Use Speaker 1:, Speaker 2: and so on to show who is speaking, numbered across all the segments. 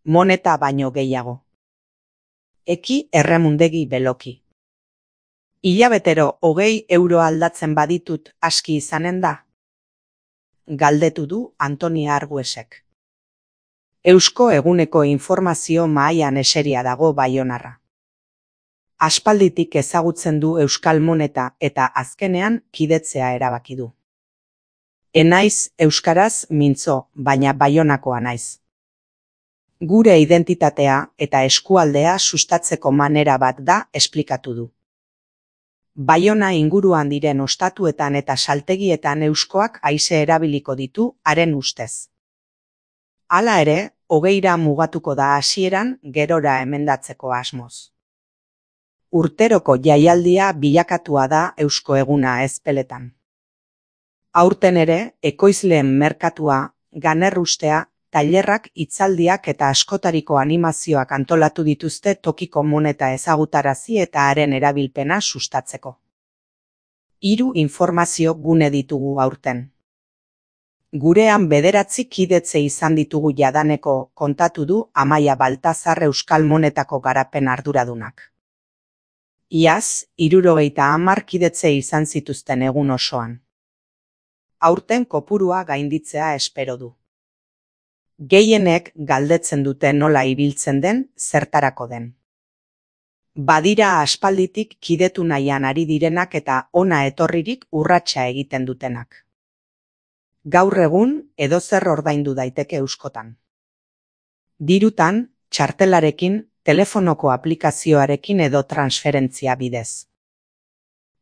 Speaker 1: moneta baino gehiago. Eki erremundegi beloki. Hilabetero 20 euro aldatzen baditut aski izanen da? Galdetu du Antoni Arguesek. Eusko eguneko informazio mahaian eseria dago baionarra. Aspalditik ezagutzen du euskal moneta eta azkenean kidetzea erabaki du. Enaiz euskaraz mintzo, baina baionakoa naiz. Gure identitatea eta eskualdea sustatzeko manera bat da esplikatu du. Baiona inguruan diren ostatuetan eta saltegietan euskoak haize erabiliko ditu haren ustez. Hala ere, 20ra mugatuko da hasieran gerora emendatzeko asmoz. Urteroko jaialdia bilakatua da Eusko Eguna ezpeletan. Aurten ere, ekoizleen merkatua, ganerrustea, tailerrak, hitzaldiak eta askotariko animazioak antolatu dituzte tokiko moneta ezagutarazi eta haren erabilpena sustatzeko. 3 informazio gune ditugu aurten. Gurean 9 kidetze izan ditugu jadaneko, kontatu du Amaia Baltazar euskal monetako garapen arduradunak. Iaz, 70 kidetze izan zituzten egun osoan. Aurten kopurua gainditzea espero du. Gehienek galdetzen dute nola ibiltzen den, zertarako den. Badira aspalditik kidetu nahian ari direnak eta ona etorririk urratsa egiten dutenak. Gaur egun, edozer ordaindu daiteke euskotan. Dirutan, txartelarekin, telefonoko aplikazioarekin edo transferentzia bidez.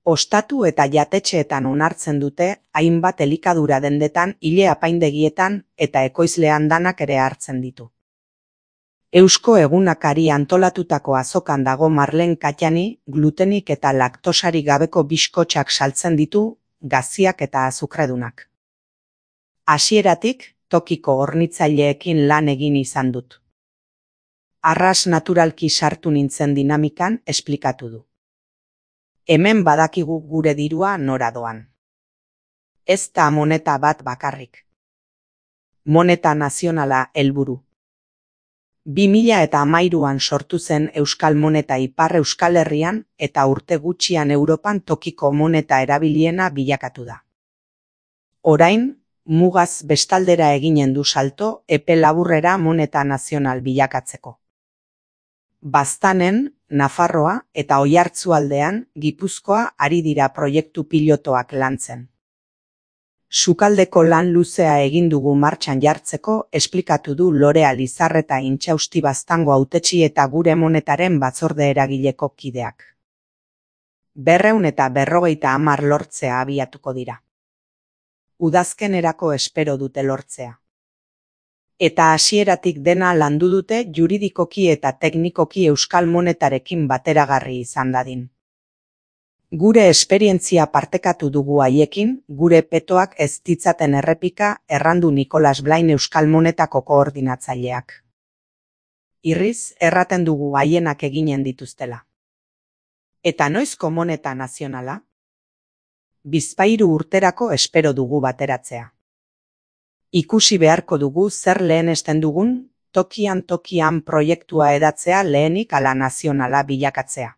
Speaker 1: Ostatu eta jatetxeetan onartzen dute hainbat elikadura dendetan, ile apaindegietan eta ekoizlean danak ere hartzen ditu. Eusko Egunakari antolatutako azokan dago Marlen Katjani glutenik eta laktosarik gabeko biskotxak saltzen ditu, gaziak eta azukredunak. Hasieratik, tokiko hornitzaileekin lan egin izan dut. Arras naturalki sartu nintzen dinamikan esplikatu du. Hemen badakigu gure dirua nora doan. Ez da moneta bat bakarrik. Moneta nazionala helburu. 2013an sortu zen euskal moneta Ipar Euskal Herrian eta urte gutxian Europan tokiko moneta erabiliena bilakatu da. Orain, mugaz bestaldera eginen du salto epe laburrera moneta nazional bilakatzeko. Baztanen, Nafarroa eta Oiartzualdean, Gipuzkoa ari dira proiektu pilotoak lantzen. Sukaldeko lan luzea egin dugu martxan jartzeko esplikatu du Lorea Lizarreta Intxausti Baztango hautetsi eta gure monetaren batzorde eragileko kideak. 250 lortzea abiatuko dira. Udazkenerako espero dute lortzea. Eta hasieratik dena landu dute juridikoki eta teknikoki euskal monetarekin bateragarri izan dadin. Gure esperientzia partekatu dugu haiekin, gure petoak ez ditzaten errepika, errandu Nikolas Blain euskal monetako koordinatzaileak. Irriz, erraten dugu haienak eginen dituztela. Eta noizko moneta nazionala? 23 urterako espero dugu bateratzea. Ikusi beharko dugu zer lehenesten dugun, tokian proiektua edatzea lehenik ala nazionala bilakatzea.